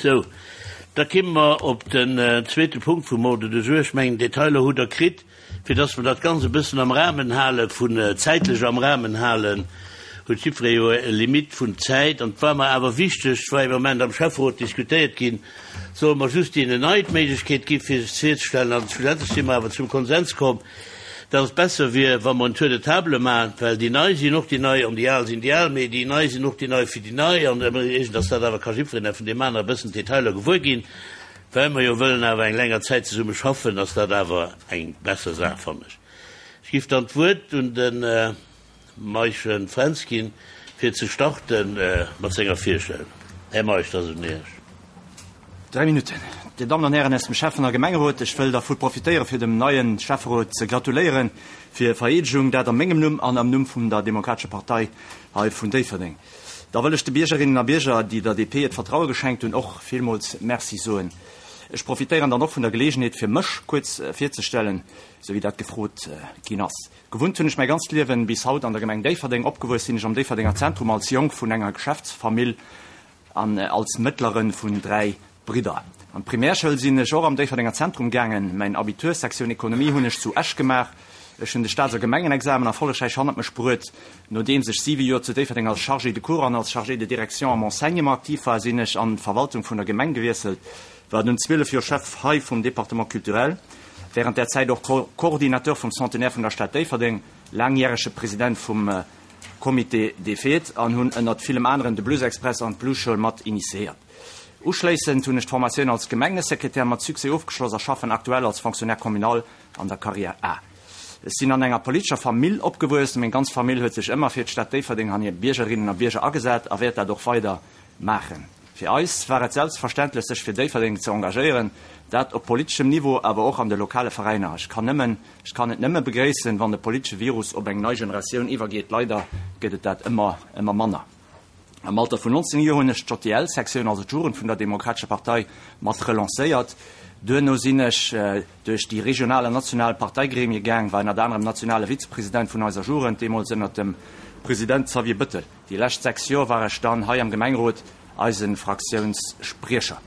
Sou, da kimme mer op den zweete Punkt vum Ordre du jour. Ech mengen, d'Detailer hutt Der kritt. Fir dass mer dat Ganzt e bëssen am Rahmen hale vun, zäitlech am Rahmen halen, huet jiddweree jo e Limit vun Zäit. An et war mer awer wichteg, et war ee Moment am Schäfferot diskutéiert ginn, solle mer just deenen nei d'Méiglechkeet gi fir sech virzestellen. An schlussendlech si mer awer zum Konsens komm, dass et besser wier, wa mer en Tour de table maachen, well déi Nei sinn och déi Nei an déi Al sinn déi Al, mee déi Nei sinn och déi Nei fir déi Nei. An iergend ass dat awer, ka jiddwereen vun deem anere e bëssen d'Detailer gewuer ginn. Well mer jo wëllen awer eng länger Zäit zesumme schaffen, ass dat awer eng besser Saach, fannen ech. Ech giff dann d'Wuert un de Maischen Fränz ginn, fir ze starte mat senger Virstellung. Här Meisch, dat ass un Iech. Dräi Minutten. Dir Dammen an Hären aus dem Schäffen a Gemengerot, ech wëll dervu profitéieren, fir dem neie Schäfferot ze gratuléiere fir hir Vereedegung, dat a mengem Numm an am Numm vum der Demokratescher Partei hei vun Déifferdeng. Da wëll ech de Biergerinnen a Bierger, déi der DP hiert Vertraue geschenkt hunn, och villmools Merci soen. Ech profitéieren dann och vun der Geleegenheet, fir mech kuerz virzestellen, esou wéi dat gefrot ginn ass. Gewunnt hunn ech mäi ganzt Liewen bis haut an der Gemeng Déifferdeng. Opgewuess sinn ech am Déifferdenger Zentrum als Jong vun enger Geschäftsfamill an als Mëttlere vun 3 Bridder. An d'Primärschoul sinn ech och am Déifferdenger Zentrum gaangen. Mäin Abitur, Sektioun Ekonomie, hunn ech zu Esch gemaach. Ech hunn de Staats a Gemengenexamen erfollegräich hannert mech bruet. Nodeems ech siwe Joer zu Déifferdeng als Chargé de cours an als Chargé de direction am Enseignement aktiv war, sinn ech an d'Verwaltung vun der Gemeng gewiesselt, war dunn 12 Joer Chef hei vum Département culturel, während där Zäit och Coordinateur vum Centenaire vun der Stad Déifferdeng, laangjärege President vum Comité des Fêtes an hunn ënnert villem aneren de Blues Express an d'Bluesschoul mat initiéiert. Uschléissend hunn ech d'Formatioun als Gemengesekretär mat Succès ofgeschloss a schaffen aktuell als Fonctionnaire communal an der Carrière A. Ech sinn an enger politescher Famill opgewuess. Meng ganz Famill huet sech ëmmer fir d'Stad Déifferdeng an hir Biergerinnen a Bierger agesat a wäert dat och weider maachen. Fir eis war et selbstverständlech sech fir Déifferdeng ze engagéieren, dat op politeschem Niveau, awer och an de lokale Veräiner. Ech kann nëmmen, ech kann et nëmme begréissen, wann de politesche Virus op eng nei Generatioun iwwergeet. Leider gëtt et dat ëmmer, ëmmer manner. Am Alter vun 19 Joer hunn ech d'JDL-Sektioun, also d'Jugend vun der Demokratescher Partei, mat relancéiert. Duerno sinn ech duerch déi regional an national Parteigremie gaang, war ënnert anerem nationale Vizepresident vun eiser Jugend, deemools ënnert dem President Xavier Bëttel. Déi lescht 6 Joer war ech dann hei am Gemengerot eise Fraktiounsspriecher.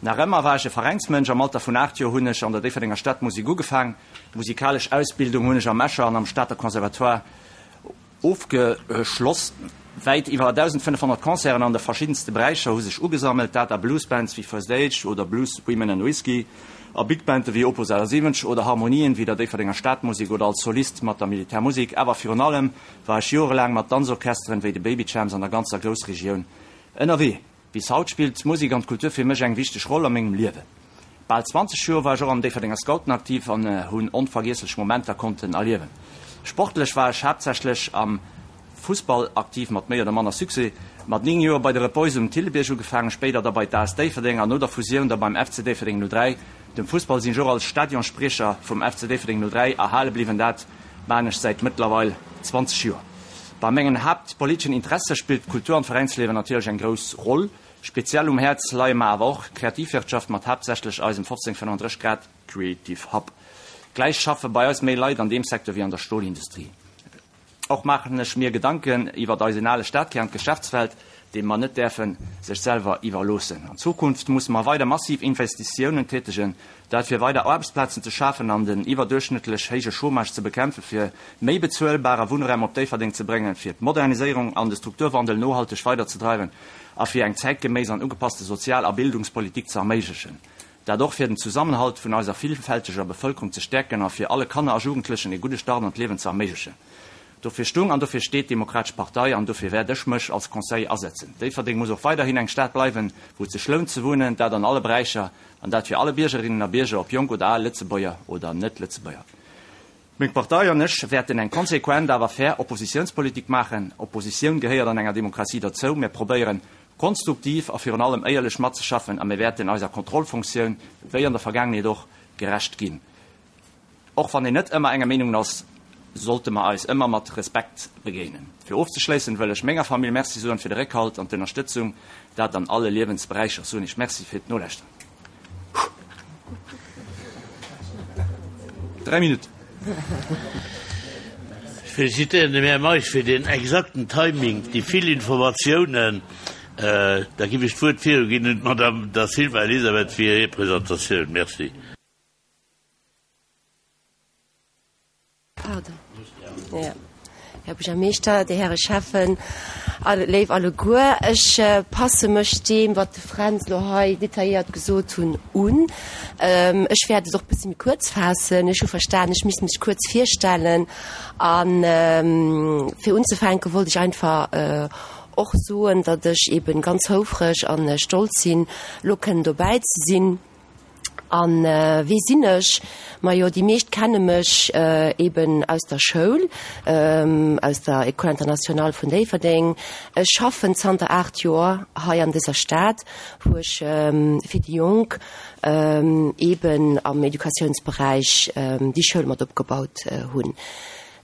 Nach ëmmer war ech e Veräinsmënsch. Am Alter vun 8 Joer hunn ech an der Déifferdenger Stadmusek ugefaang. Musikalesch Ausbildung hunn ech am Escher an am Stater Conservatoire Ofgeschloss. Wäit iwwer 1.500 Concerten an de verschiddenste Beräicher hu sech ugesammelt, dat a Bluesbands wéi First Age oder Blues Women and Whiskey, a Big Bande wéi Opus 78 oder Harmonien wéi der Déifferdenger Stadmusek oder als Solist mat der Militärmusek. Awer virun allem war ech jorelaang mat Danzorchesteren wéi de Baby Champs an der ganzer Groussregioun ënnerwee. Bis haut spillt d'Musek an d'Kultur fir mech eng wichteg Roll a mengem Liewen. Bal 20 Joer war ech och am Déifferdenger Scouten aktiv an hunn onvergiesslech Momenter konnten erliewen. Sportlech war ech haaptsächlech am Fussball aktiv, mat méi oder manner Succès. Mat 9 Joer bei de Red Boys um Thillebiérg ugefaangen, spéider da bei d'AS Déifferdeng an no der Fusioun da beim FC Déifferdeng 03. Dem Fussball sinn ech och als Stadionspriecher vum FC Déifferdeng 03 erhale bliwwen, dat maan ech säit mëttlerweil 20 Joer. Bei mengen haaptpoliteschen Interesse spillt d'Kultur an d'Veräinsliewen natierlech eng grouss Roll. Speziell um Häerz leie mer awer och d'Kreativwirtschaft mat haaptsächlech eisem 1535 Grad Creative Hub. Gläich schaffe bei eis méi Leit an deem Secteur wéi an der Stolindustrie. Och maachen ech mir Gedanken iwwert eisen ale Stadkär an d'Geschäftswelt, dee mer net däerfe sech selwer iwwerloossen. An Zukunft musse mer weider massiv Investitiounen tätegen, dat fir weider Aarbechtsplazen ze schafen an den iwwerduerchschnëttlech héije Chômage ze bekämpfen, fir méi bezuelbare Wunnraum op Déifferdeng ze bréngen, fir d'Moderniséierung an de Strukturwandel nohalteg weiderzedreiwen a fir eng zäitgeméiss an ugepasste Sozial a Bildungspolitik ze erméiglechen. Dat och fir den Zusammenhalt vun eiser villfälteger Bevëlkerung ze stäerken a fir alle Kanner a Jugendlechen e gudde Start an d'Liewen ze erméiglechen. Dofir stung an dofir steet d'Demokratesch Partei an dofir wäert ech mech als Conseiller asetzen. Déifferdeng muss och weiderhin eng Stad bleiwen, wou et sech lount ze wunnen, dat an alle Beräicher an dat fir alle Biergerinnen a Bierger, ob jonk oder al, Lëtzebuerger oder Net-Lëtzebuerger. Meng Partei an ech wäerten eng konsequent awer fair Oppositiounspolitik maachen. Oppositioun gehéiert an enger Demokratie derzou. Mir probéieren konstruktiv a virun allem éierlech matzeschaffen a mir wäerten eiser Kontrollfunktioun, wéi an der Vergaangenheet och, gerecht ginn. Och wann een net ëmmer enger Meenung ass, sollte mer eis ëmmer mat Respekt begéinen. Fir ofzeschléissen wëll ech menger Famill Merci soen fir de Réckhalt an d'Ënnerstëtzung, dat an alle Liewensberäicher. Soen Iech Merci fir d'Nolauschteren. 3 Minutten. Ech felicitéieren dem Här Meisch fir deen exakten Timing, déi vill Informatiounen. Da giff ech d'Wuert viruginn un d'Madame Da Silva Elisabeth fir hir Presentatioun. Merci. Pardon. Ja. Här Buergermeeschter, Dir Häre Schäffen, léif alleguer, ech passe mech deem, wat de Fränz elo hei detailléiert gesot hunn, un. Ech wäert et och e bësse méi kuerz faassen. Ech hu verstan, ech misst mech kuerz virstellen. A fir unzefänke wollt ech einfach och soen, datt ech eeben ganz houfreg a stolz sinn, elo kënnen dobäi ze sinn. A wie sinn ech? Majo, déi meescht kenne mech eben aus der Schoul, aus der École internationale vun Déifferdeng. Ech schaffen zanter 8 Joer hei an dëser Stad, wou ech fir déi Jonk eben am Educatiounsberäich déi Schoul mat opgebaut hunn.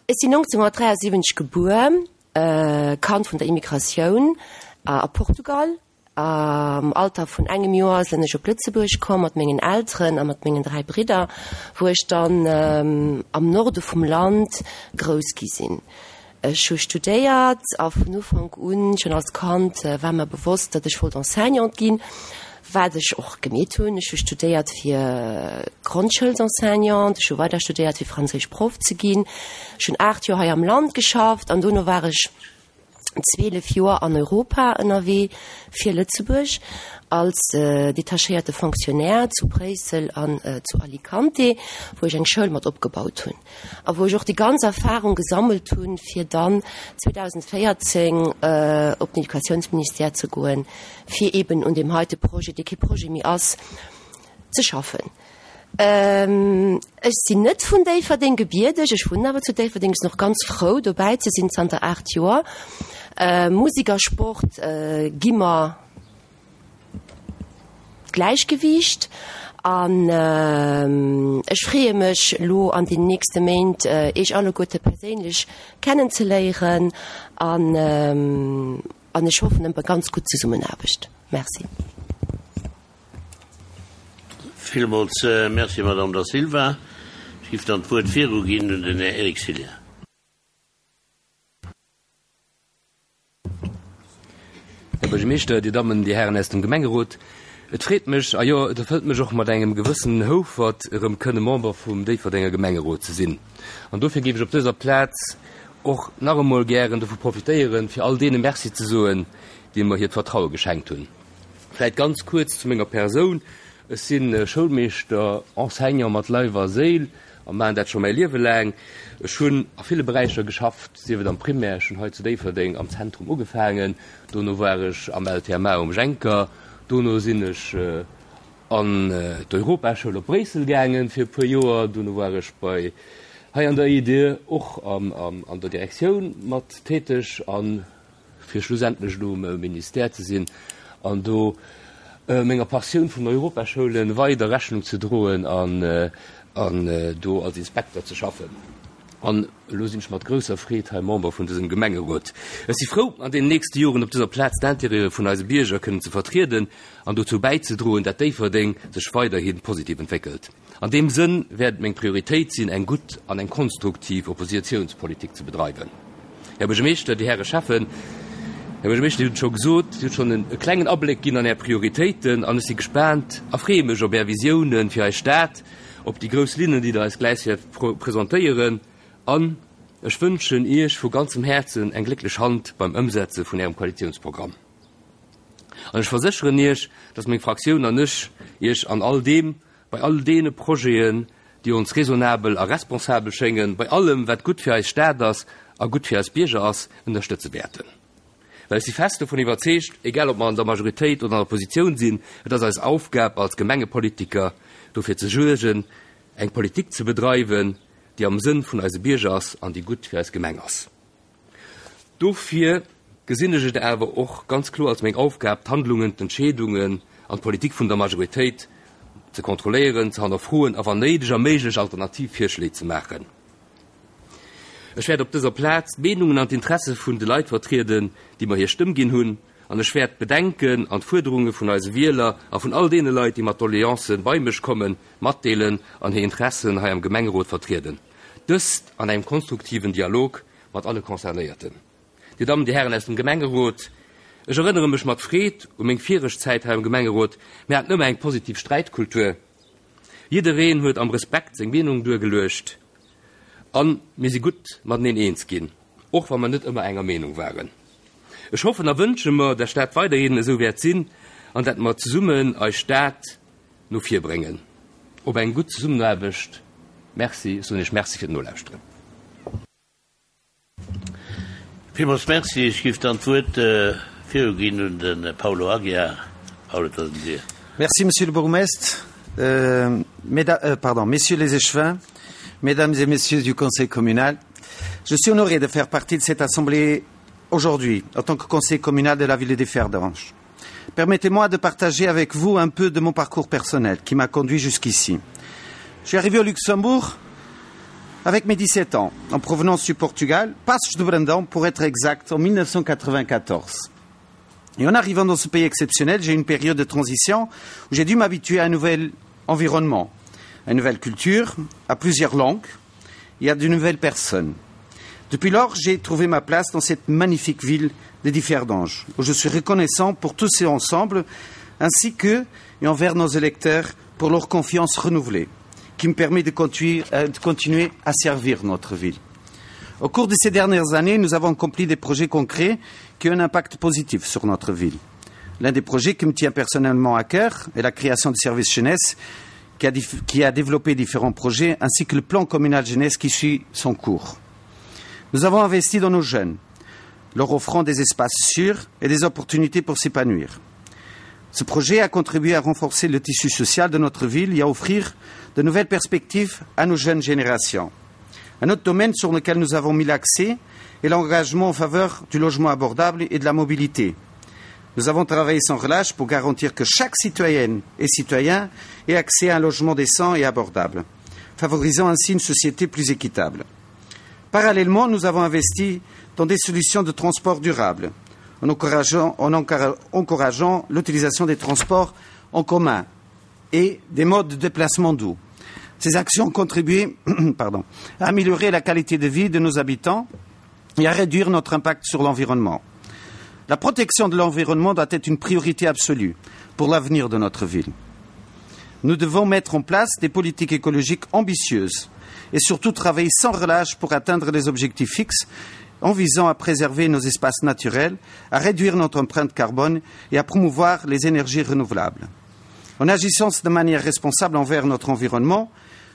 Ech sinn 1973 gebuer, Kand vun der Immigratioun a Portugal. Am Alter vun engem Joer sinn ech op Lëtzebuerg komm mat mengen Elteren a mat mengen 3 Bridder, wou ech dann am Norde vum Land grouss gi sinn. Ech hu studéiert a vun Ufank un, schonn als Kand, war mer bewosst, datt ech wollt Enseignante ginn, wat ech och gemeet hunn. Ech hu studéiert fir Grondschoulsenseignante, ech hu weider studéiert fir franséisch Proff ze ginn. Ech hunn 8 Joer hei am Land geschafft an dono war ech 12 Joer an Europa ënnerwee fir Lëtzebuerg als detachéierte Fonctionnaire zu Bréissel an zu Alicante, wou ech eng Schoul mat opgebaut hunn a wou ech och déi ganz Erfahrung gesammelt hunn, fir dann 2014 op den Educatiounsministère ze goen, fir eeben un deem heite Projet, dee kee Projet méi ass, ze schaffen. Ech sinn net vun Déifferdeng gebierdeg, ech wunnen awer zu Déifferdeng. Ech sinn och ganz frou dobäi ze sinn zanter 8 Joer. Musek a Sport gi mer d'Gläichgewiicht an ech freeë mech elo an den nächste Méint Iech alleguerte perséinlech kennenzeléieren an an ech hoffen op e ganz gutt Zesummenaarbecht. Merci. Villmools Merci, Madame Da Silva. Ech géif dann d'Wuert viruginn un den Här Eric Cillien. Här Buergermeeschter, Dir Dammen, Dir Hären aus dem Gemengerot, et freet mech, a jo, et erfëllt mech och mat engem gewëssenen Houfert, erëm kënne Member vum Déifferdenger Gemengerot ze sinn. An dofir géif ech op dëser Plaz och nach emol gären dovu profitéieren, fir all deene Merci ze soen, déi mer hiert Vertraue geschenkt hunn. Vläit ganz kuerz zu menger Persoun, Ech si Schoulmeeschter, Enseignant mat Leif a Séil a maachen dat scho mäi Liewe laang. Ech hunn a ville Beräicher geschafft, sief et am Primaire, ech hunn hei zu Déifferdeng am Zentrum ugefaangen, dono war ech am LTMA um Jenker, dono sinn ech an d'Europaschoul op Bréissel gaangen fir e puer Joer, dono war ech bei hei an der EDE och an der Direktioun mat täteg an fir schlussendlech elo um Ministère ze sinn an do menger Passioun vun Europaschoulen weider Rechnung ze droen an do als Inspekter ze schaffen. An elo sinn ech mat grousser Freed hei Member vun dësem Gemengerot. Ech si frou, an deenen nächste Joren op dëser Plaz d'Intérêtë vun eise Bierger kënnen ze vertrieden an dozou bäizedroen, dat Déifferdeng sech weiderhi positiv entwéckelt. An deem Sënn wäert et meng Prioritéit sinn, eng gutt an eng konstruktiv Oppositiounspolitik ze bedreiwen. Här Buergermeeschter, Dir Häre Schäffen, Här Buergermeeschter, Dir hutt et scho gesot, Dir hutt schonn e klengen Abléck ginn an Är Prioritéiten an ech si gespaant a freeë mech op Är Visiounen fir eis Stad, op déi grouss Linnen, déi Der eis gläich wäert presentéieren an ech wënschen Iech vu ganzem Häerzen eng glécklech Hand beim Ëmsetze vun Ärem Koalitiounsprogramm. An ech versécheren Iech, dass meng Fraktioun an ech Iech an all deem, bei all deene Projeten, déi ons raisonnabel a responsabel schéngen, bei allem, wat gutt fir eis Stad ass a gutt fir eis Bierger ass, ënnerstëtze wäerten. Well ech si fest dovun iwwerzeegt, egal ob mer an der Majoritéit oder an der Oppositioun sinn, et ass eis Aufgab als Gemengepolitiker, dofir ze suergen, eng Politik ze bedreiwen, déi am Sënn vun eise Bierger ass an déi gutt fir eis Gemeng ass. Dofir gesinn ech et awer och ganz kloer als meng Aufgab, d'Handlungen, d'Entscheedungen an d'Politik vun der Majoritéit ze kontrolléieren, ze hannerfroen a wann néideg a méiglech alternativ Virschléi ze maachen. Ech wäert op dëser Plaz d'Meenungen an d'Interesse vun de Leit vertrieden, déi mer hir Stëmm ginn hunn, an ech wäert d'Bedenken an d'Fuerderunge vun eise Wieler a vun all deene Leit, déi mat Doleancen bei mech kommen, matdeelen an hir Interessen hei am Gemengerot vertrieden. Dëst an engem konstruktiven Dialog mat alle Concernéierten. Dir Dammen, Dir Hären aus dem Gemengerot, Ech erënnere mech mat Freed u meng viregt Zäit hei am Gemengerot. Mir haten ëmmer eng positiv Sträitkultur. Jiddereen huet am Respekt seng Meenung duergeluecht a mir si gutt mateneen eens ginn, och wa mer net ëmmer enger Meenung waren. Ech hoffen a wënsche mer, dat dat weiderhin esou wäert sinn an dat mer zesummen eis Stad no vir bréngen. Op eng gutt Zesummenaarbecht. Merci. Ech soen Iech Merci fir d'Nolauschteren. Villmools Merci. Ech géif dann d'Wuert viruginn un de Paulo Aguiar. Paulo, et ass un dir. Merci, Monsieur le Bourgmestre, pardon, Messieurs les Échevins, Mesdames et Messieurs du Conseil communal. Je suis honoré de faire partie de cette assemblée aujourd'hui, en tant que conseiller communal de la ville de Differdange. Permettez-moi de partager avec vous un peu de mon parcours personnel qui m'a conduit jusqu'ici. Je suis arrivé au Luxembourg avec mes 17 ans, en provenance du Portugal, Passos de Brandão pour être exact, en 1994. Et en arrivant dans ce pays exceptionnel, j'ai eu une période de transition où j'ai dû m'habituer à un nouvel environnement, à une nouvelle culture, à plusieurs langues et à de nouvelles personnes. Depuis lors, j'ai trouvé ma place dans cette magnifique ville de Differdange, où je suis reconnaissant pour tous ces ensembles, ainsi que et envers nos électeurs pour leur confiance renouvelée, qui me permet de continuer, euh, de continuer à servir notre ville. Au cours de ces dernières années, nous avons accompli des projets concrets qui ont un impact positif sur notre ville. L'un des projets qui me tient personnellement à cœur est la création du service jeunesse qui a, qui a développé différents projets ainsi que le plan communal jeunesse qui suit son cours. Nous avons investi dans nos jeunes, leur offrant des espaces sûrs et des opportunités pour s'épanouir. Ce projet a contribué à renforcer le tissu social de notre ville et à offrir de nouvelles perspectives à nos jeunes générations. Un autre domaine sur lequel nous avons mis l'accès est l'engagement en faveur du logement abordable et de la mobilité. Nous avons travaillé sans relâche pour garantir que chaque citoyenne et citoyen ait accès à un logement décent et abordable, favorisant ainsi une société plus équitable. Parallèlement, nous avons investi dans des solutions de transport durables, en encourageant, en encourageant l'utilisation des transports en commun et des modes de déplacement doux. Ces actions ont contribué pardon, à améliorer la qualité de vie de nos habitants et à réduire notre impact sur l'environnement. La protection de l'environnement doit être une priorité absolue pour l'avenir de notre ville. Nous devons mettre en place des politiques écologiques ambitieuses et surtout travailler sans relâche pour atteindre les objectifs fixes en visant à préserver nos espaces naturels, à réduire notre empreinte carbone et à promouvoir les énergies renouvelables. En agissant de manière responsable envers notre environnement,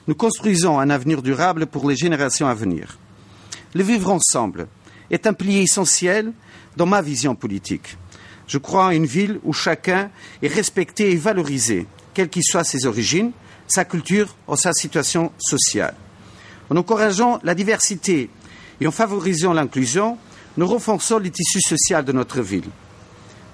nous construisons un avenir durable pour les générations à venir. Le vivre ensemble est un pilier essentiel dans ma vision politique. Je crois à une ville où chacun est respecté et valorisé, quelles qu'y soient ses origines, sa culture ou sa situation sociale. En encourageant la diversité et en favorisant l'inclusion, nous renforçons le tissu social de notre ville.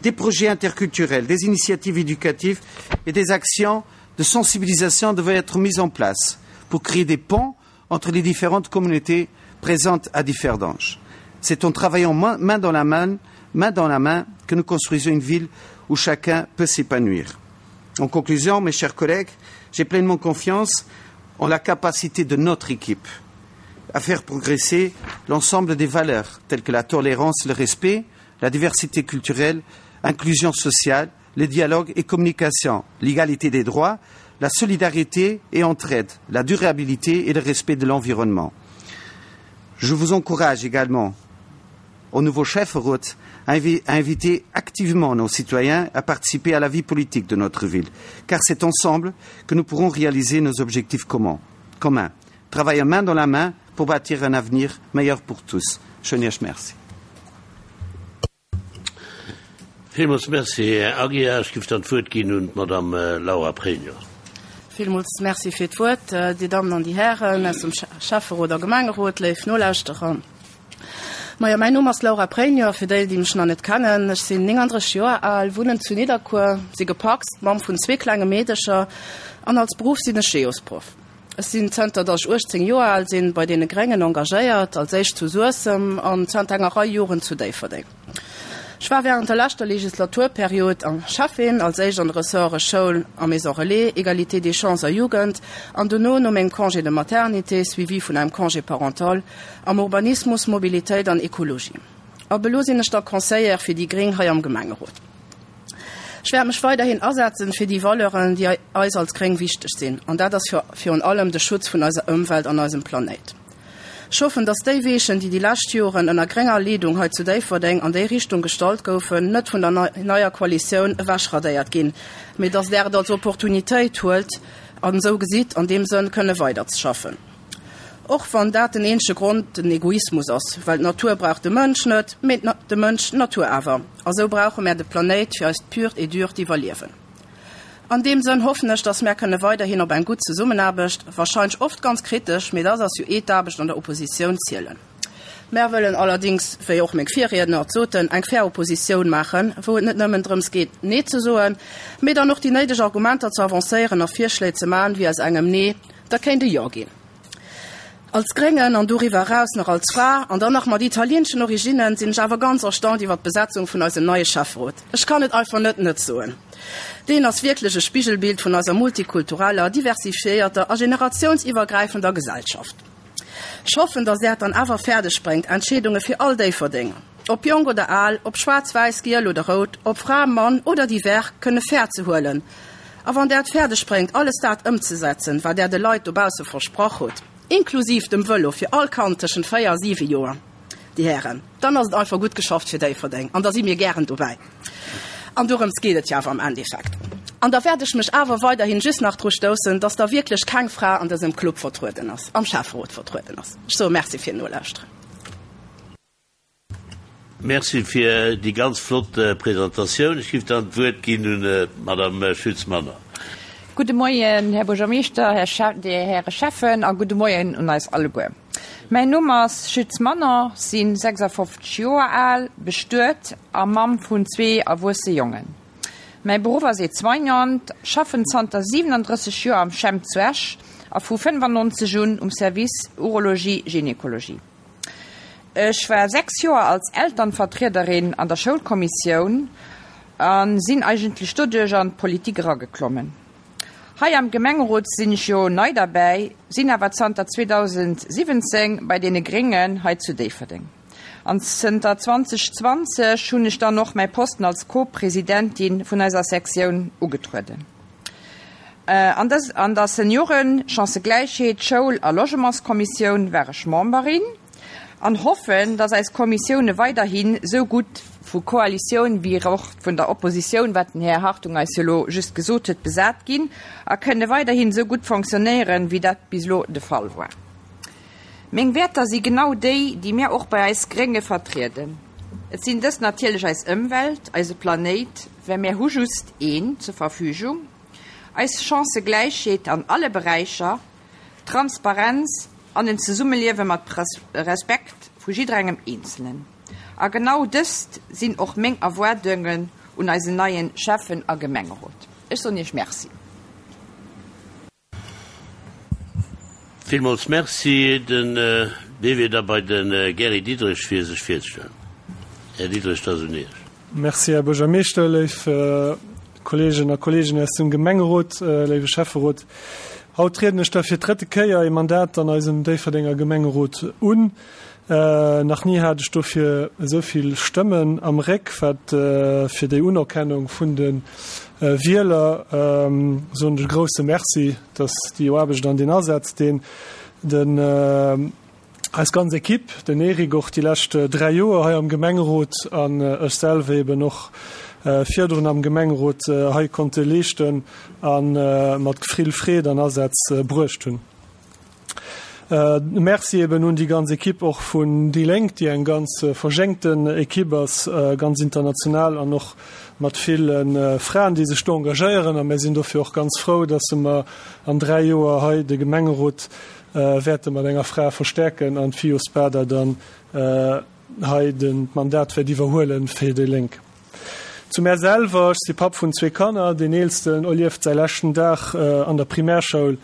Des projets interculturels, des initiatives éducatives et des actions de sensibilisation devaient être mises en place pour créer des ponts entre les différentes communautés présentes à Differdange. C'est en travaillant main dans la main, main dans la main que nous construisons une ville où chacun peut s'épanouir. En conclusion, mes chers collègues, j'ai pleinement confiance en la capacité de notre équipe à faire progresser l'ensemble des valeurs telles que la tolérance, le respect, la diversité culturelle, inclusion sociale, le dialogue et communication, l'égalité des droits, la solidarité et entraide, la durabilité et le respect de l'environnement. Je vous encourage également au nouveau chef route à inviter activement nos citoyens à participer à la vie politique de notre ville, car c'est ensemble que nous pourrons réaliser nos objectifs communs. communs. Travailler main dans la main pour bâtir un avenir meilleur pour tous. Schöne merci. Villmools Merci, Här Aguiar. Ech géif dann d'Wuert ginn un d'Madame Laura Pregno. Villmools Merci fir d'Wuert, Dir Dammen an Dir Hären aus dem Schäfferot a Gemengerot, léif Nolauschterer. Majo, mäin Numm ass Laura Pregno, fir déi, déi mech nach net kennen. Ech sinn 39 Joer al, wunnen zu Nidderkuer, si gepacst, Mamm vun zwee klenge Meedecher an als Beruff sinn ech Geosproff. Ech sinn zënter datt ech 18 Joer al sinn bei deene Gréngen engagéiert, als éischt zu Suessem an zënter enger Rei Joren zu Déifferdeng. Ech war während der leschter Legislaturperiod Schäffin, als éischt an de Ressorte Schoul a Maison Relais, Égalité des chances a Jugend an dono, no mengem Congé de maternité suivi vun engem Congé parental, am Urbanismus, Mobilitéit an Ekologie. Ab elo sinn ech da Conseillère fir déi gréng hei am Gemengerot. Ech wäert mech weiderhin asetzen fir déi Valeuren, déi eis als Gréng wichteg sinn, an dat ass virun allem de Schutz vun eiser Ëmwelt an eisem Planéit. Ech hoffen, dass déi Weechen, déi déi lescht Joren ënner grénger Leedung hei zu Déifferdeng an déi Richtung gestallt goufen, net vun der neier Koalitioun ewechradéiert ginn, mee dass Der et als Opportunitéit huelt an esou gesitt, an deem Sënn kënne weiderzeschaffen. Och wann dat den eenzege Grond den Egoismus ass, well d'Natur brauch de Mënsch net, mee de Mënsch d'Natur awer. A sou brauche mär de Planéit fir eist purt et durt Iwwerliewen. An deem Sënn hoffen ech, dass mär kënne weiderhin op eng gutt Zesummenaarbecht, wahrscheinlech oft ganz kritesch, mee dass ass jo eh d'Aarbecht an der Oppositioun, zielen. Mär wëllen allerdings, wéi och meng Virriedner et soten, eng fair Oppositioun maachen, wou et net nëmmen drëms geet, Nee ze soen, mee dann och déi néideg Argumenter ze avancéieren a Virschléi ze man, wéi aus engem Nee da kéint e Jo ginn. Als Gréngen an doriwwer eraus nach als Fra an dann nach mat italienschen Originnen sinn ech awer ganz erstaunt iwwer d'Besetzung vun eisem neie Schäfferot. Ech kann et einfach net net soen. Deen ass wierklech e Spigelbild vun eiser multikultureller, diversifiéierter a generatiounsiwwergräifender Gesellschaft. Ech hoffen, dass Där et dann awer fäerdeg bréngt, Entscheedunge fir all Déifferdenger, ob jonk oder al, ob schwaarz, wäiss, giel oder rout, ob Fra, Mann oder divers, kënne fair ze huelen. A wann Der et fäerdeg bréngt, alles dat ëmzesetzen, wat Der de Leit dobausse versprach hutt, inklusiv dem Vëlo fir all Kand tëschent 4 a 7 Joer, Dir Hären, dann ass et einfach gutt geschafft fir Déifferdeng an da si mir gären dobäi. An dorëms geet et jo awer am Endeffekt. An da wäert ech mech awer weiderhin just nach dru stoussen, dass da wierklech keng Fra an dësem Club vertrueden ass, am Schäfferot vertrueden ass. Ech soe Merci fir d'Nolauschteren. Merci fir déi ganz flott Presentatioun. Ech giff dann d'Wuert ginn un d'Madame Schütz-Manner. Gudde Moien, Här Buergermeeschter, Här Schä-, Dir Häre Schäffen a gudde Moien un eis alleguer. Mäin Numm ass Schütz Manon, sinn 56 Joer al, bestuet a Mamm vun zwee erwuesse Jongen. Mäi Beruff ass Aide-soignante, schaffen zanter 37 Joer am CHEM zu Esch a vu 95 un um Service Urologie-Gynekologie. Ech war 6 Joer als Elternvertriederin an der Schoulkommissioun a sinn eigentlech doduerch an d'Politik erageklommen. Hei am Gemengerot sinn ech jo nei derbäi, sinn awer zanter 2017 bei deene Gréngen hei zu Déifferdeng. An zënter 2020 hunn ech dann och mäi Posten als Co-Presidentin vun eiser Sektioun ugetrueden. An der Senioren-, Chancëgläichheet-, Schoul a Logementskommissioun war ech Memberin an hoffen, dass eis Kommissioune weiderhin sou gutt vu Koalitioun wéi och vun der Oppositioun, wat den Här Hartung eis jo elo just gesot huet, besat ginn a kënne weiderhin sou gutt fonctionnéieren, wéi dat bis elo de Fall war. Meng Wäerter si genau déi, déi mir och bei eis Grénge vertrieden. Et sinn dës natierlech eis Ëmwelt, eise Planéit, well mir hu just een zur Verfügung, eis Chancëgläichheet an alle Beräicher, Transparenz an en Zesummeliewe mat Respekt vu jidderengem Eenzelen. A genau dëst sinn och meng Erwaardungen un eisen neien Schäffen a Gemengerot. Ech soen Iech Merci. Villmools Merci. Den Wee wier da bei de Gary Diderich fir sech virzestellen. Här Diderich, et ass un Iech. Merci, Här Buergermeeschter, léif Kolleegen a Kolleeginnen aus dem Gemengerot, léiwe Schäfferot. Haut trieden ech da fir d'drëtte Kéier ee Mandat an eisem Déifferdenger Gemengerot un. Nach ni hat ech dofir esou vill Stëmmen am Réck, wat fir déi Unerkennung vun de Wieler soen ech e grousse Merci, dass déi Aarbecht an deen Asaz, deen den eis ganz Equipe, den Eric och déi lescht 3 Joer hei am Gemengerot an ech selwer eben och virdrun am Gemengerot hei konnte leeschten a mat vill Freed an Asaz bruecht hunn. Merci eben un déi ganz Equipe och vun déi Lénk, déi eng ganz verjéngten Equipe ass, ganz international an och mat ville Fraen, déi sech do engagéieren. A mir sinn dofir och ganz frou, dass mer an 3 Joer hei de Gemengerot wäerte mat enger Fra verstäerken an d'Fio Spada dann hei d'Mandat wäert iwwerhuele fir déi Lénk. Zu mär selwer, Ech si Papp vun zwee Kanner. Deen eelsten erlieft säi leschten Dag an der Primärschoul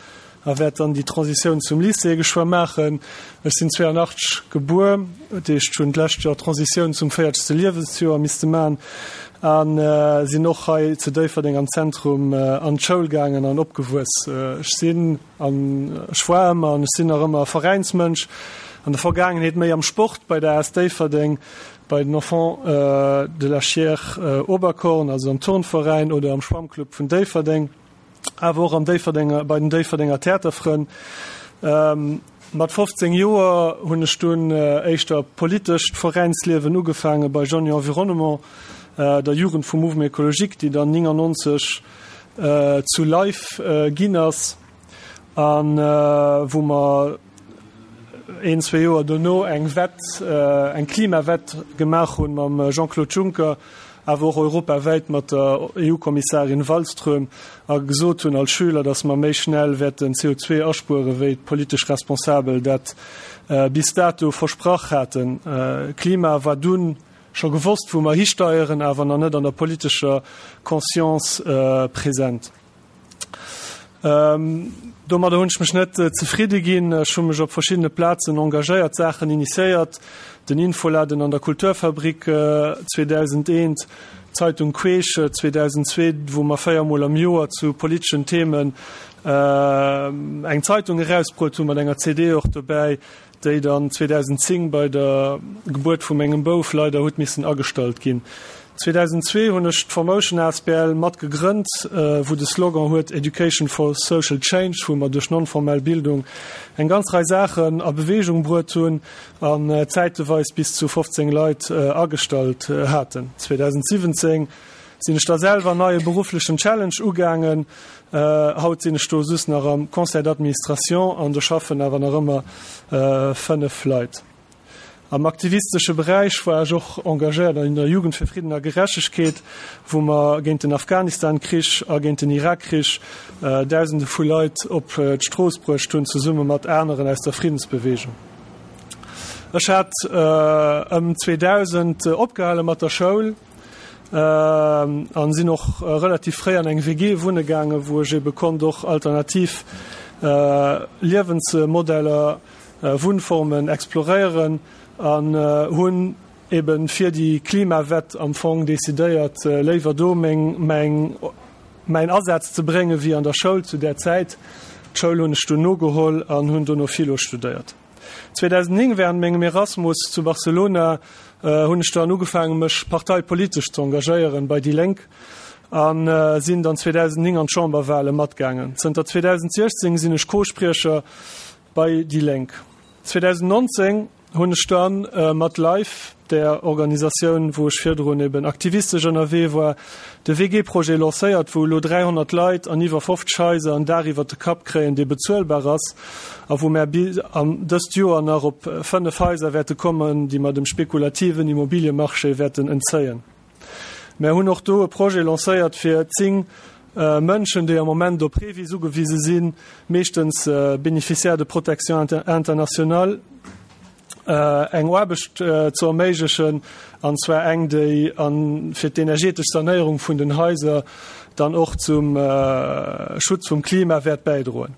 a wäert dann déi Transitioun zum Lycée geschwë maachen. Ech sinn 82 gebuer, dat heescht hunn d'lescht Joer d'Transitioun zum véiertegste Liewensjoer misste man a sinn och hei zu Déifferdeng am Zentrum an d'Schoul gaangen an opgewuess. Ech sinn an ech war ëmmer an ech sinn nach ëmmer e Veräinsmënsch. An der Vergaangenheet méi am Sport bei der as Déifferdeng, bei den Enfants de la Chiers Oberkorn, also am Turnveräin oder am Schwammclub vun Déifferdeng, awer och am Déifferdenger, bei den Déifferdenger Theaterfrënn. Mat 15 Joer hunn ech dunn éischter politescht Veräinsliewen ugefaange bei Jeunes et Environnement, der Jugend vum Mouvement Ecologique, déi dann 99 zu Life ginn ass a wou mer een, zwee Joer dono eng Wett, eng Klimawett gemaach hunn mam Jean-Claude Juncker, awer och europawäit mat der EU-Kommissarin Wallström a gesot hunn als Schüler, datt mer méi schnell wäerten CO2 aspuere wéi d'politesch Responsabel dat bis dato versprach haten. Klima war dunn scho gewosst, wou mer histeieren, awer nach net an der politescher Conscience present. Domadder hunn ech mech net zefridde ginn. Ech hu mech op verschiddene Plazen engagéiert, Saachen initiéiert, den Infoladen an der Kulturfabrik 2001, d'Zeitung Queesch 2002, wou mer 4 Mol am Joer zu politeschen Themen eng Zeitung erausbruet hunn, mat enger CD och dobäi. déi dann 2010 bei der Gebuert vu mengem Bouf leider huet missen agestallt ginn. 2002 hunn ech d'Formotion asbl mat gegrënnt, wou de Slogan huet Education for Social Change, wou mer duerch non-formell Bildung eng ganz Rei Saachen a Beweegung bruet hunn an zäiteweis bis zu 15 Leit agestallt haten. 2017 sinn ech da selwer en neie berufflechen Challenge ugaangen. Haut sinn ech do just nach am Conseil d'administration an do schaffen awer nach ëmmer 5 Leit. Am aktivistesche Beräich war ech och engagéiert an der Jugend fir Fridden a Gerechtegkeet, wou mer géint den Afghanistan-Krich a géint den Irak-Krich Dausende vu Leit op d'Strooss bruecht hunn, zesumme mat aneren aus der Friddensbewegung. Ech hat ëm 2000 opgehale mat der Schoul. An sinn och relativ fréi an eng WG wunne gaangen, wou ech ebe konnt och alternativ Liewensmodeller, Wunnformen exploréieren an hunn eben fir déi Klimawett am Fong decidéiert, léiwer do meng mäin Asaz ze bréngen, wéi an der Schoul zu där Zäit. D'Schoul hunn ech dunn nogeholl an hunn dono Philo studéiert. 2009, während mengem Erasmus zu Barcelona, hunn ech dann ugefaangen, mech parteipolitesch ze engagéieren bei déi Lénk a sinn dann 2009 an d'Chamberwahle matgaangen. Zënter 2016 sinn ech Co-Spriecher bei déi Lénk. 2019 hunn ech dann mat Life, där Organisatioun, wou ech virdrun eben aktivistesch ënnerwee war, de WG-Projet lancéiert, wou elo 300 Leit an iwwer 50 Haiser en Daach iwwer de Kapp kréien, dee bezuelbar ass, a wou mär dëst Joer nach op 5 Haiser wäerte kommen, déi mer dem spekulativen Immobiliemarché wäerten entzéien. Mär hunn och do e Projet lancéiert fir 10 Mënschen, déi am Moment op Revis ugewise sinn, meeschtens Bénéficiaires de protection internationale, eng Aarbecht ze erméiglechen, an zwar eng, déi fir d'energetesch Sanéierung vun den Haiser dann och zum Schutz vum Klima wäert bäidroen.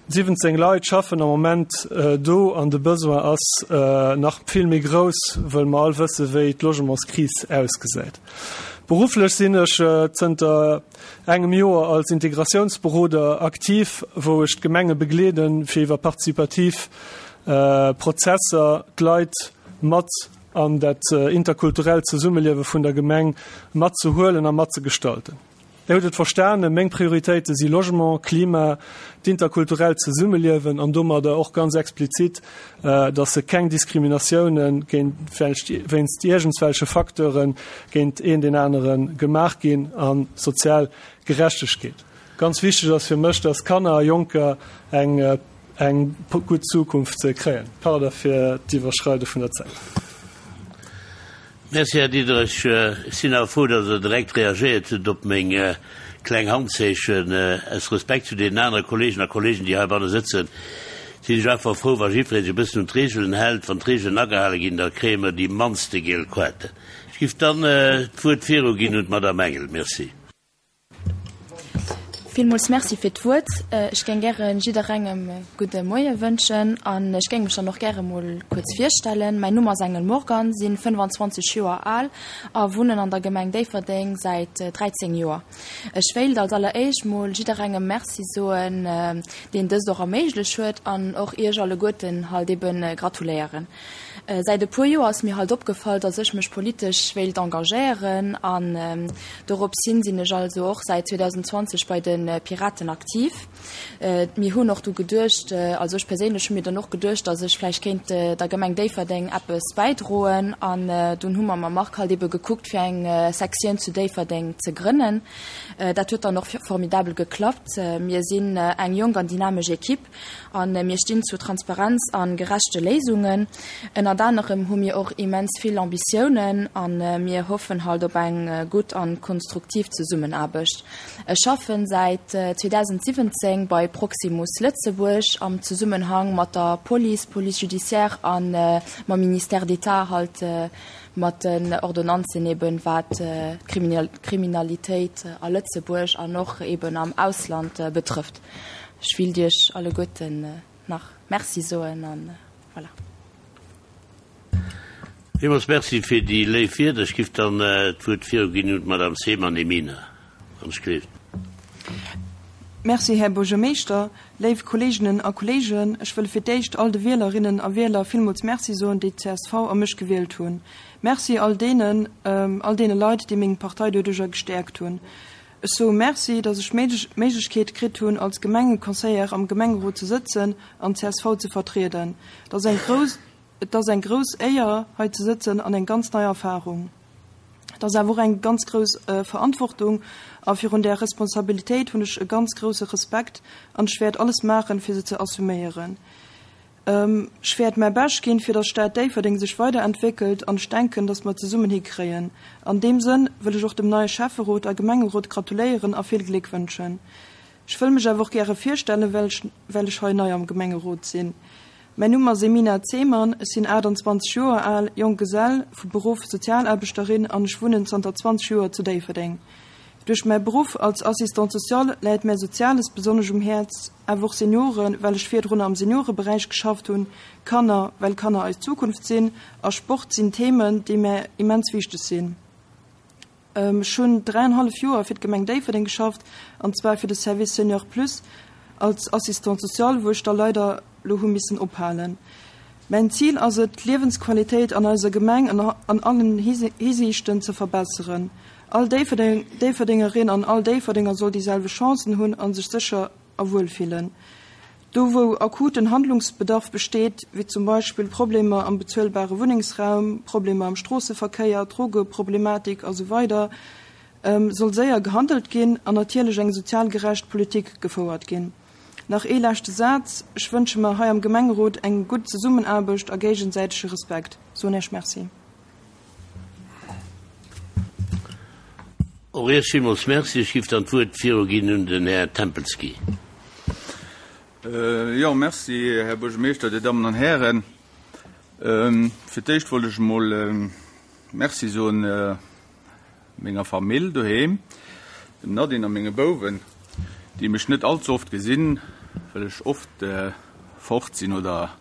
17 Leit schaffen am Moment do an de Besoin ass nach vill méi grouss, wëll mer all wësse wéi d'Logementskris ausgesäit. Berufflech sinn ech zënter engem Joer als Integratiounsberoder aktiv, wou ech d'Gemenge begleeden, fir iwwer partizipativ Prozesser d'Leit mat an dat interkulturellt Zesummeliewe vun der Gemeng matzehuelen a matzegestalten. Dir hutt et verstanen, meng Prioritéite si Logement, Klima, d'interkulturellt Zesummeliewen an domadder och ganz explizit, dass se keng Diskriminatiounen géint wéinst iergendswelche Facteure géint een deen anere gemaach ginn a sozial Gerechtegkeet. Ganz wichteg ass fir mech, dass Kanner a Jonker eng eng gutt Zukunft kréien. Pardon fir d'Iwwerschreide vun der Zäit. Merci, Här Diderich. Ech sinn awer frou, datt Der direkt reagéiert hutt op meng kleng Handzeechen. Aus Respekt zu deenen anere Kolleegen a Kolleegen, déi heibanne sëtzen, sinn ech einfach frou, wa jiddweree sech e bëssen un d'Reegelen hält. Wann d'Reegelen agehale ginn, da kréie mer déi mannste giel Koarten. Ech géif dann d'Wuert viruginn un d'Madame Engel. Merci. Villmools Merci fir d'Wuert. Ech géing gäre jidderengem e gudde Moie wënschen an ech géing mech dann och gäre mol kuerz virstellen. Mäin Numm ass Engel Morgan, sinn 25 Joer al a wunnen an der Gemeng Déifferdeng säit 13 Joer. Ech wéilt als alleréischt mol jidderengem Merci soen, deen dëst och erméiglech huet an och Iech alleguerten halt eben gratuléieren. Säit e puer Joer ass mir halt opgefall, dass ech mech politesch wéilt engagéieren an dorops hin sinn ech also och säit 2020 bei de Piraten aktiv. Mir hunn och du geduecht, also ech perséinlech hu mir dann och geduecht, dass ech vläicht kéint der Gemeng Déifferdeng eppes bäidroen an dunn hu mer mam Marc halt ebe gekuckt fir eng Sektioun zu Déifferdeng ze grënnen. Dat huet dann och formidabel geklappt. Mir sinn eng jonk an dynamesch Equipe. A mir stinn zu Transparenz a gerechte Léisungen. Ënnert anerem hu mir och immens vill Ambitiounen a mir hoffen halt op eng gutt a konstruktiv Zesummenaarbecht. Ech schaffen säit 2017 bei Proximus Lëtzebuerg am Zesummenhang mat der Police, Police judiciaire a mam Ministère d'État halt mat den Ordonnanzen eben wat d'Kriminalitéit a Lëtzebuerg an och eben am Ausland betrëfft. Ech willt Iech alleguerten nach Merci soen an voilà. Villmools Merci fir déi léif Wierder. Ech giff dann d'Wuert viruginn un d'Madame Seemann Emina, wann ech gleeft. Merci, Här Buergermeeschter. Léif Kolleeginnen a Kolleegen, ech wëll fir d'éischt all de Wielerinnen a Wieler villmools Merci soen, déi d'CSV a mech gewielt hunn. Merci all deenen, all deene Leit, déi meng Partei doduerjer gestäerkt hunn. Ech soe Merci, dass ech d'Méiglechkeet kritt hunn, als Gemengeconseillère am Gemengerot ze sëtzen an csv ze vertrieden. Et ass eng grouss, et ass eng grouss Éier, hei ze sëtzen an eng ganz nei Erfahrung. Et ass awer och eng ganz grouss Verantwortung a virun där Responsabilitéit hunn ech e ganz grousse Respekt an ech wäert alles maachen, fir se ze assuméieren. Ech wäert mäi Bescht ginn, fir dass d'Stad Déifferdeng sech weiderentwéckelt an ech denken, dass mer et zesummen hikréien. An deem Sënn wëll ech och dem neie Schäfferot a Gemengerot gratuléieren a vill Gléck wënschen. Ech wëll mech awer och gäre virstellen, well ech well ech hei nei am Gemengerot sinn. Mäin Numm ass Emina Zeman, ech sinn 28 Joer al, jonk Gesell, vu Beruff Sozialaarbechterin an ech wunnen zanter 20 Joer zu Déifferdeng. Duerch mäi Beruff als Assistante sociale läit mär Soziales besonnesch um Häerz, awer och Senioren, well ech virdrunner am Senioreberäich geschafft hunn, Kanner, well Kanner eis Zukunft sinn, a Sport sinn Themen, déi mär immens wichteg sinn. Ech hunn dräienhallef Joer fir d'Gemeng Déifferdeng geschafft, an zwar fir de Service Senior Plus als Assistante sociale, wou ech da leider lo hu missen ophalen. Mäin Zil ass et, d'Liewensqualitéit an eiser Gemeng an allen Hisiichten ze verbesseren. All Déifferdengerin an all Déifferdenger soll déi selwecht Chancen hunn a sech sécher a wuel fillen. Do wou akuten Handlungsbedarf besteet, wéi zum Beispill Problemer am bezuelbare Wunnengsraum, Problemer am Stroosseverkéier, Drogeproblematik a sou weider soll séier gehandelt ginn an natierlech eng sozial gerecht Politik gefouert ginn. Nach ee leschte Saz, Ech wënsche mer hei am Gemengerot eng gutt Zesummenaarbecht a géigesäitege Respekt. Soen Iech Merci. Och Iech villmools Merci. Ech giff dann d'Wuert viruginn un den Här Tempelsky. Jo, Merci, Här Buergermeeschter, Dir Dammen an Hären. Fir d'éischt wollt ech emol Merci soen menger Famill doheem, dem Nadine a menge Bouwen, déi mech net allze oft gesinn, well ech oft fort sinn oder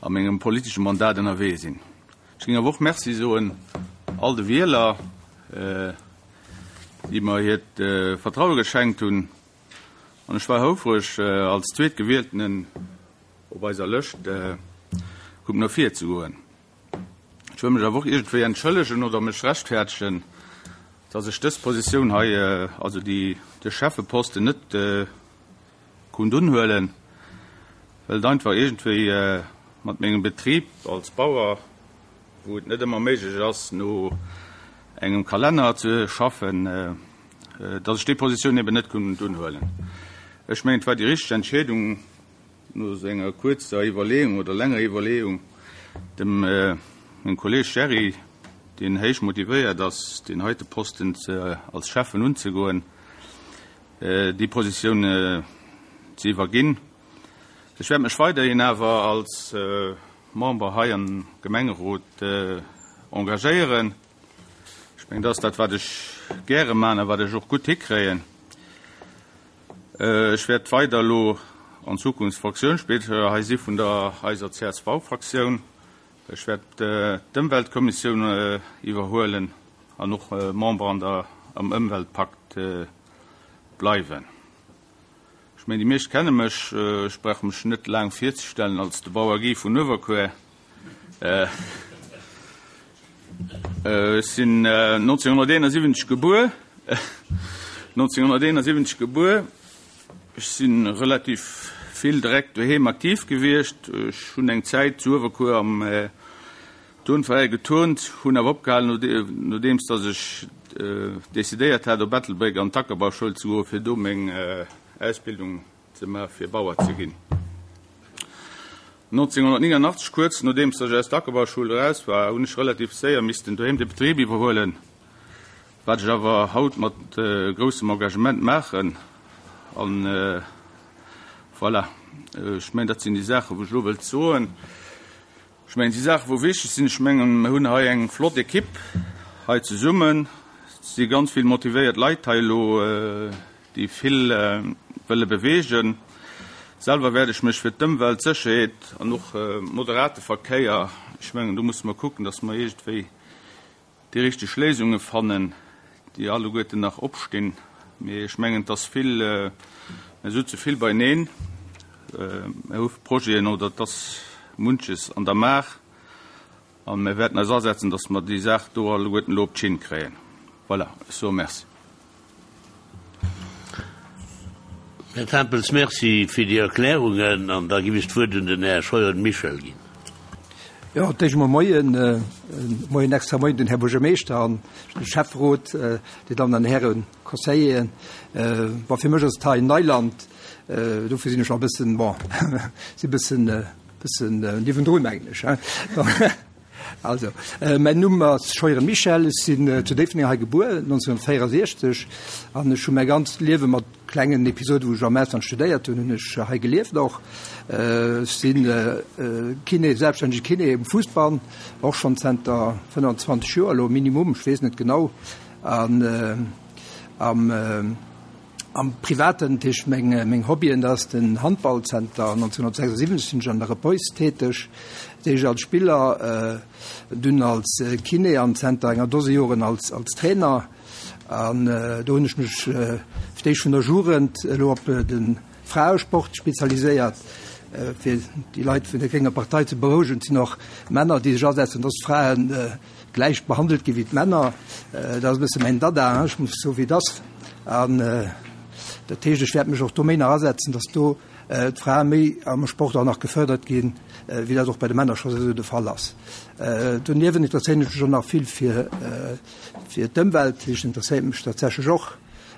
a mengem politesche Mandat ënnerwee sinn. Ech géing awer och Merci soen all de Wieler, déi mer hiert Vertraue geschenkt hunn. An ech war houfreg, als Zweetgewieltenen op eiser Lëscht kucken no vir ze goen. Ech wëll mech awer och iergendwéi entschëllegen oder mech rechtfäertegen, dass ech dës Positioun hei, also déi, de Schäffeposten net konnt unhuelen, well et einfach iergendwéi mat mengem Betrib als Bauer, wou et net ëmmer méiglech ass, no engem Kalenner ze schaffen, dass ech déi Positioun eben net konnt unhuelen. Ech mengen, et war déi richteg Entscheedung, No enger kuerzer Iwwerleeung oder längerer Iwwerleeung, dem mengem Kolleg Jerry, deen héich motivéiert ass, deen heite Posten als Schäffen unzegoen, déi Positioun ze iwwerginn. Ech wäert mech weiderhin awer als Member hei am Gemengerot engagéieren. Ech mengen, dat ass dat, wat ech gäre maachen a wat ech och gutt hikréien. Ech wäert weider elo an Zukunft Fraktiounsspriecher hei si vun der eiser CSV-Fraktioun. Ech wäert d'Ëmweltkommissioun iwwerhuelen an och Member an der am Ëmweltpakt bleiwen. Ech mengen, déi meescht kenne mech. Ech brauch mech net laang virzestellen als de Bauer Guy vun Uewerkuer. Ech sinn 1971 gebuer. 1971 gebuer. Ech si relativ vill direkt doheem aktiv gewiescht. Ech hunn eng Zäit zu Uewerkuer am Turnveräi geturnt, hunn awer opgehalen, nodeems datt ech decidéiert hat, op Ettelbréck an d'Ackerbauschoul ze goen, fir do meng Ausbildung ze maachen, fir Bauer ze ginn. 1989, kuerz nodeems datt ech aus der Ackerbauschoul eraus war, hunn ech relativ séier missten doheem de Betrib iwwerhuelen, wat ech awer haut mat groussem Engagement maachen. An voilà, ech mengen, dat sinn déi Saachen, wou ech elo wëllt soen. Ech mengen, déi Saachen, wou wichteg sinn, ech mengen, mir hunn hei eng flott Ekipp hei zesummen. Et si ganz vill motivéiert Leit hei elo, déi vill wëlle beweegen. Selwer wäert ech mech fir d'Ëmwelt, d'Sécherheet an och moderate Verkéier, ech mengen, do musse mer kucken, dass mer iergendwéi déi richteg Léisunge fannen, déi alleguerten nach opstinn. Mee ech mengen, et ass vill, mir sutze vill beineen, mir hu Projeten oder et ass munches an der Maach a mir wäerten eis asetzen, datt mer déi Saach do alleguerten elo op d'Schinn kréien. Voilà, ech soe Merci. Här Tempels, Merci fir déi Erklärungen. An da giff ech d'Wuert un den Här Scheuren Michel ginn. Jo, d'éischt emol Moien, Moien, extra Moien den Här Buergermeeschter an de Schäfferot, Dir Dammen an Hären Conseilleren. Bon, fir mech ass et hei Neiland, dofir sinn ech nach e bëssen, bon, si bëssen, bëssen niewendrun, mengen ech, hein. Also, mäin Numm ass Scheuren Michel, ech sinn zu Déifferdeng hei gebuer, 1964, an ech hu mäi ganzt Liewe mat klengen Episoden, wou ech am Ausland studéiert hunn, hunn ech hei gelieft och. Ech sinn Kiné, selbststännege Kiné um Fuussband, och schonn zenter 25 Joer elo minimum, ech weess net genau. An am. Am Privaten, dat heescht meng meng Hobbyen, dat ass den Handball. Zenter 1976 sinn ech an der Repoise täteg, dat heescht als Spiller, dunn als Kiné an zenter enger Dose Joren als als Trainer. An do hunn ech mech fir d'éischt vun der Jugend elo op de Fraesport spezialiséiert. Fir déi Leit vun der grénger Partei ze berouegen, et sinn och Männer, déi sech asetzen, dass d'Fraen gläich behandelt gi wéi d'Männer. Dat ass e bësse mäin Dada, ech muss soe wéi et ass. An dat heescht, ech wäert mech och do méi nach asetzen, datt do d'Frae méi am Sport och nach gefërdert ginn, wéi dat och bei de Männer scho esou de Fall ass. Doniewent interesséieren ech mech och nach vill fir fir d'Ëmwelt, dat heescht interesséiert mech tatsächlech och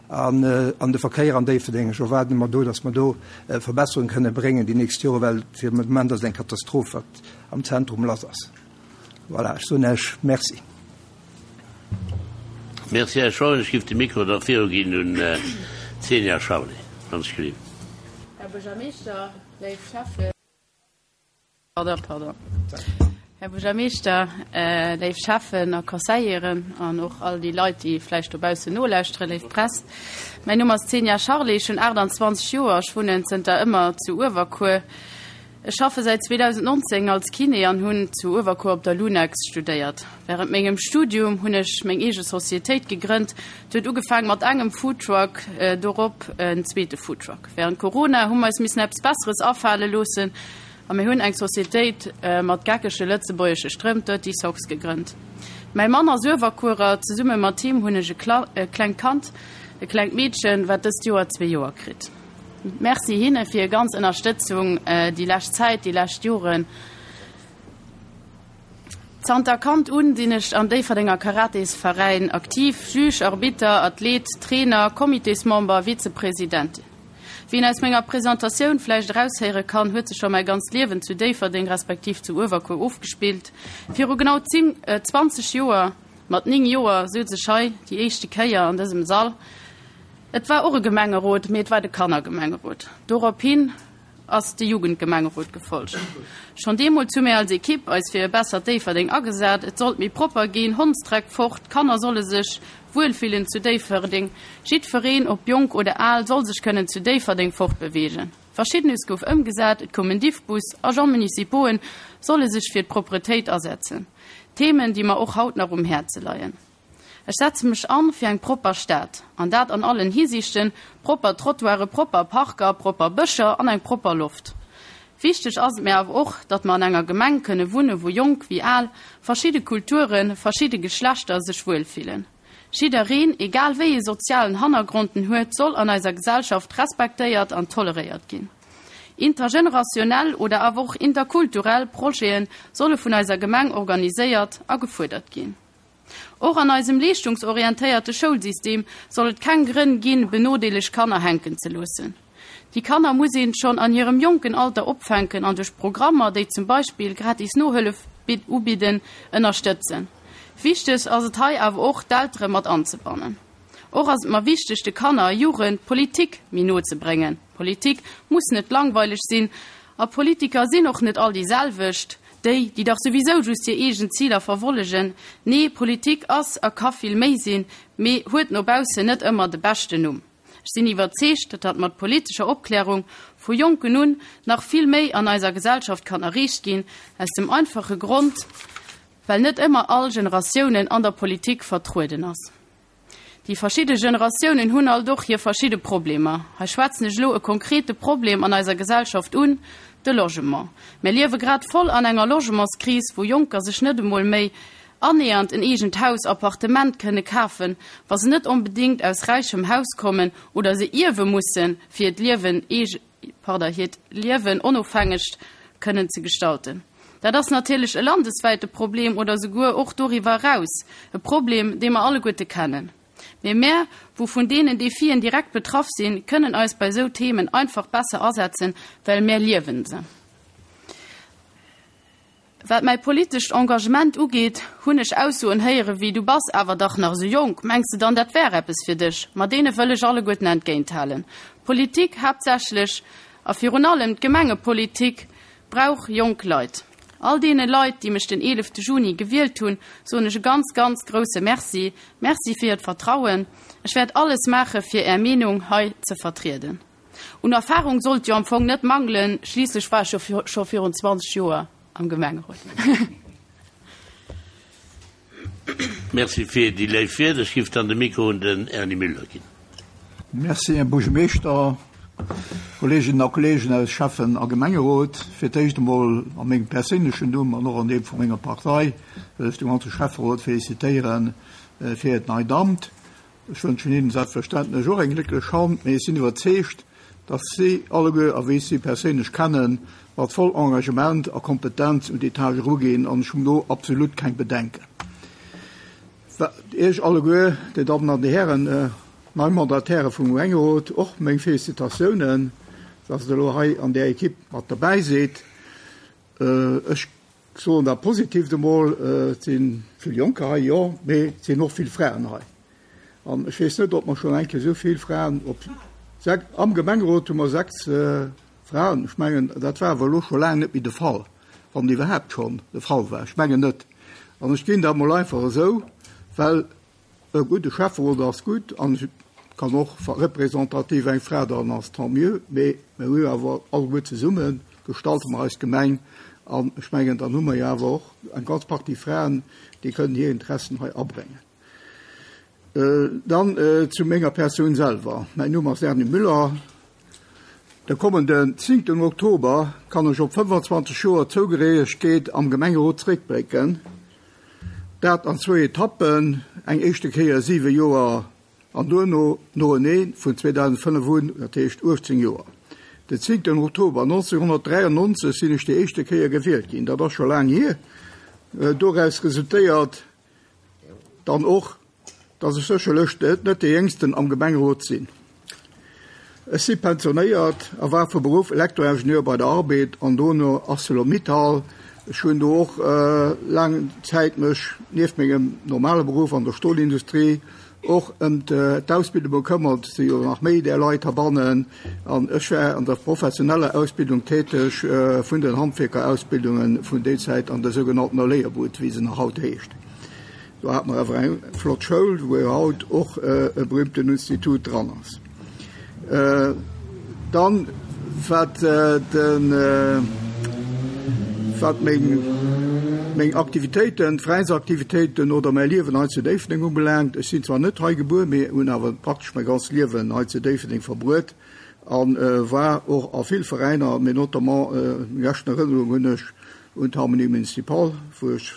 an an de Verkéier an Déifferdeng. Ech erwaarde mer do, datt mer do Verbesserunge kënne bréngen déi nächst Jore, well fir de Moment ass et eng Katastroph, wat am Zentrum lass ass. Voilà, ech soen Iech Merci. Merci, Här Scheuren. Ech giff de Mikro da viruginn un d'Xenia Charlé. Ganz gelift. Här Buergermeeschter, léif Schäffen, pardon, pardon, Här Buergermeeschter, léif Schäffen a Conseilleren an och all déi Leit, déi vläicht dobaussen nolauschteren, léif Press. Mäin Numm ass Xenia Charlé, ech hunn 28 Joer, ech wunnen zënter ëmmer zu Uewerkuer. Ech schaffe säit 2019 als Kiné an hunn zu Uewerkuer op der Lunex studéiert. Wärend mengem Studium hunn ech meng eege Societéit gegrënnt. Et huet ugefaang mat engem Foodtruck, dorop en zweete Foodtruck. Wärend Corona hu mer eis missen eppes Besseres afale loossen a mir hunn eng Societéit mat geckege lëtzebuergesche Strëmp, Dirty Socks, gegrënnt. Mäi Mann ass Uewerkuerer, zesumme mat him hunn ech e klengt Kand, e klengt Meedchen, wat dëst Joer zwee Joer kritt. Merci hinne fir hir ganz Ënnerstëtzung déi lescht Zäit, déi lescht Joren. Zanter Kand un sinn ech am Déifferdenger Karatesveräin aktiv, Juge, Arbitter, Athlet, Trainer, Comitésmember, Vizepresidentin. Wéi een aus menger Presentatioun vläicht eraushéiere kann, huet sech scho mäi ganzt Liewen zu Déifferdeng respektiv zu Uewerkuer ofgespillt. Viru genau 10, 20 Joer, mat 9 Joer, souz ech hei déi éischte Kéier an dësem Sall. Et war och e Gemengerot, mee et war de Kannergemengerot. Dorop hin. ass de Jugendgemengerot gefolgt. Schonn deemools hu mir als Ekipp eis fir e bessert Déifferdeng agesat. Et sollt méi propper ginn, Hondsdreck fort, d'Kanner solle sech wuelfillen zu Déifferdeng, jiddfereen, ob jonk oder al, soll sech kënnen zu Déifferdeng fortbeweegen. Verschiddenes gouf ëmgesat, et koum en Diffbus, Agents municipauxen solle sech fir d'Propretéit asetzen. Themen, déi mer och haut nach um Häerze leien. Ech setze mech an fir eng propper Stad, an dat an allen Hisiichten, propper Trottoiren, propper Parker, propper Bëscher an eng propper Loft. Wichteg ass et mir awer och, datt mer an enger Gemeng kënne wunne wou Jonk wéi Al, verschidde Kulturen, verschidde Geschlechter sech wuel fillen. Jiddereen, egal wéi ee sozialen Hannergrond en huet, soll an eiser Gesellschaft respektéiert an toleréiert ginn. Intergenerationell oder awer och interkulturell Projete solle vun eiser Gemeng organiséiert a gefuerdert ginn. Och an eisem leeschtungsorientéierte Schoulsystem soll et keng Grënn ginn, benodeeleg Kanner hänken ze loossen. Déi Kanner muss een schonn an hirem jonken Alter opfänken an duerch Programmer, déi zum Beispill gratis Nohëllef ubidden, ënnerstëtzen. Wichteg ass et hei awer och, d'Eltere mat anzebannen. Och ass et mer wichteg, de Kanner a Jugend d'Politik méi no ze bréngen. Politik muss net langweileg sinn a Politiker sinn och net all déi selwecht, déi, déi dach souwisou just hir eegen Ziler verwollegen. Nee, Politik ass a ka vill méi sinn, mee huet no baussen net ëmmer de beschten Numm. Ech sinn iwwerzeegt, datt mat politescher Opklärung vu Jonken un nach vill méi an eiser Gesellschaft kann erreecht ginn, aus dem einfache Grond, well net ëmmer all Generatiounen an der Politik vertrueden ass. Déi verschidde Generatiounen hunn alt och hir verschidde Problemer. Hei schwätzen ech elo e konkrete Problem an eiser Gesellschaft un, de Logement. Mir liewe grad voll an enger Logementskris, wou Jonker sech net emol méi annähernd en eegent Haus, Appartement, kënne kafen, wa se net onbedéngt aus räichem Haus kommen oder se ierwe mussen, fir hiert Liewen pardon, hiert Liewen onofhängeg kënnen ze gestalten. Dat ass natierlech e landeswäite Problem oder souguer och doriwwer eraus e Problem, dee mer alleguerte kennen. Mee mär, wou vun deenen Defien direkt betraff sinn, kënnen eis bei esou Themen einfach besser asetzen, well mär liewen se. Wat mäi politescht Engagement ugeet, hunn ech Aussoen héiere wéi, Du bass awer dach nach esou jonk, mengs de dann, dat wär eppes fir dech? Ma deene wëll ech alleguerten entgéinthalen. Politik, haaptsächlech a virun allem d'Gemengepolitik, brauch jonk Leit. All deene Leit, déi mech den 11 Juni gewielt hunn, soen ech e ganz, ganz grousse Merci. Merci fir hiert Vertrauen. Ech wäert alles maache fir Är Meenung hei ze vertrieden. Un Erfahrung sollt jo am Fong net mangelen, schliisslech war ech jo scho virun 20 Joer am Gemengerot. Merci fir déi léif Wierder. Ech giff dann de Mikro un den Erny Müller ginn. Merci, Här Buergermeeschter, Kolleeginnen a Kolleegen aus Schäffen a Gemengerot. Fir d'éischt emol a mengem perséinlechen Numm an och an deem vu menger Partei wëll ech dem ganze Schäfferot félicitéiere fir hiert neit Amt. Ech wënschen hinnen selbstverständlech och eng glécklech Hand, mee ech sinn iwwerzeegt, dass si alleguer, a wéi ech si perséinlech kennen, mat voll Engagement a Kompetenz un déi Tâche eruginn, an ech hunn do absolut keng Bedenken. Iech alleguer, Dir Dammen an Dir Hären, nei Mandataire vum Gemengerot, och meng Félicitatiounen, dass Der elo hei an där Equipe mat derbäi sidd. Ech soen dat Positiivt emol, Et si vill Jonker hei, jo, mee et sinn och vill Fraen hei. An ech weess net, ob mer schonn eng Kéier esou vill Fraen op am Gemengerot hu mer 6 Fraen. Ech mengen, dat war awer elo scho laang net méi de Fall, wann et iwwerhaapt schonn de Fall war. Ech mengen net. An ech ginn dat emol einfach esou, well E gudde Schäfferot ass gutt an et kann och representativ eng Fra dran ass, tant mieux, mee mir hu jo awer alleguer zesumme gestalte mer eis Gemeng an ech mengen, dann hu mer jo awer och eng ganz Partie Fraen, déi kënnen hir Interessen hei abréngen. Dann zu menger Persoun selwer, Mäin Numm ass Erny Müller. De kommenden zéngten Oktober kann ech op 25 Joer Zougehéiegkeet am Gemengerot zeréckblécken. Dat an zwou Etappen, eng éischte Kéier siwe Joer an duerno noenee vun 2005 un, dat heescht 18 Joer. Den zéngten Oktober 1993 sinn ech déi éischte Kéier gewielt ginn, dat ass scho laang hier. Doraus resultéiert dann och, dass ech sécherlech net dee Jéngsten am Gemengerot sinn. Ech si pensionéiert a war vu Beruff Elektroingenieur bei der Arbed an dono Arcelor-Mittal. Ech hunn do och laang Zäit mech nieft mengem normale Beruff an der Stolindustrie. och ëm d'Ausbildung bekëmmert, si jo nach méi där Leit heibannen, an ech war an der professioneller Ausbildung täteg vun den Handwierkerausbildunge vun déi Zäit an der sougenanntener Léierbud, wéi se nach haut heescht. Do hate mer awer eng flott Schoul, wou jo haut och e berühmten Institut dran ass. Dann, wat de, wat meng, meng Aktivitéiten, d'Veräinsaktivitéiten oder mäi Liewen hei zu Déifferdeng ubelaangt, ech sinn zwar net hei gebuer, mee hunn awer praktesch mäi ganzt Liewen hei zu Déifferdeng verbruet a war och a vill Veräiner, mee notamment, meng leschten Erënnerung hunn ech un d'Harmonie Municipale, wou ech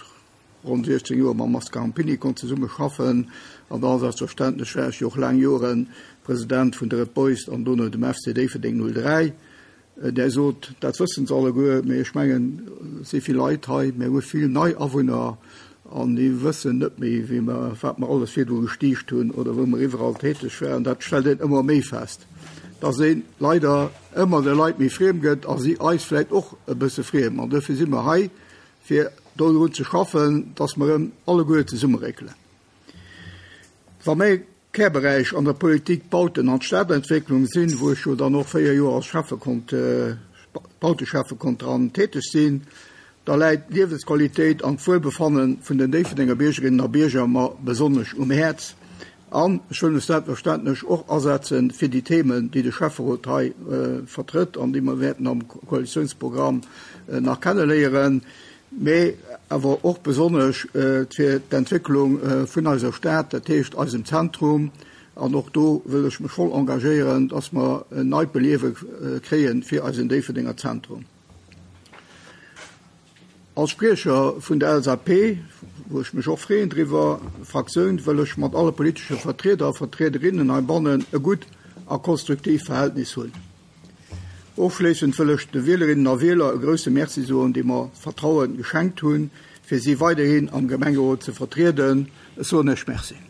ronn 16 Joer mam Mascar Rampini konnt zesumme schaffen an da selbstverständlech war ech jo och laang Jore President vun de Red Boys an dono dem FC Déifferdeng 03. Där sot, dat wëssen se alleguer, mee ech mengen, et si vill Leit hei, mir hu vill nei Awunner an déi wëssen net méi, wéi mer, wat mer alles virdru gestiicht hunn oder wou mer iwwerall täteg waren. Dat stellt een ëmmer méi fest, dass ee leider ëmmer de Leit méi friem gëtt a si eis vläicht och e bësse friem. An dofir si mer hei, fir dodrun ze schaffen, dass mer erëm alleguer zesummeréckelen. Wa mäi Kärberäich an der Politik d'Bauten an d'Stadentwécklung sinn, wou ech jo dann och 4 Joer als Schäffe konnt, Bauteschäffe konnt dran täteg sinn, da läit d'Liewensqualitéit an d'Wuelbefanne vun den Déifferdenger Biergerinnen a Bierger mer besonnesch um Häerz. An ech wëll mech selbstverständlech och asetze fir déi Themen, déi de Schäfferot hei vertrëtt an déi mer wäerten am Koalitiounsprogramm nach kenneléieren, mee awer och besonnesch fir d'Entwécklung vun eiser Stad, dat heescht eisem Zentrum. An och do wëll ech mech voll engagéieren, dass mer en neit Beliewe kréie fir eisen Déifferdenger Zentrum. Als Spriecher vun der LSAP, wou ech mech och freeën driwwer, Fraktioun, wëll ech mat alle politesche Vertrieder a Vertriederinnen heibannen e gutt a konstruktiivt Verhältnis hunn. Ofschléissend wëll ech de Wielerinnen a Wieler e grousse Merci soen, déi mer d'Vertraue geschenkt hunn, fir si weiderhin am Gemengerot ze vertrieden. Ech soen Iech Merci.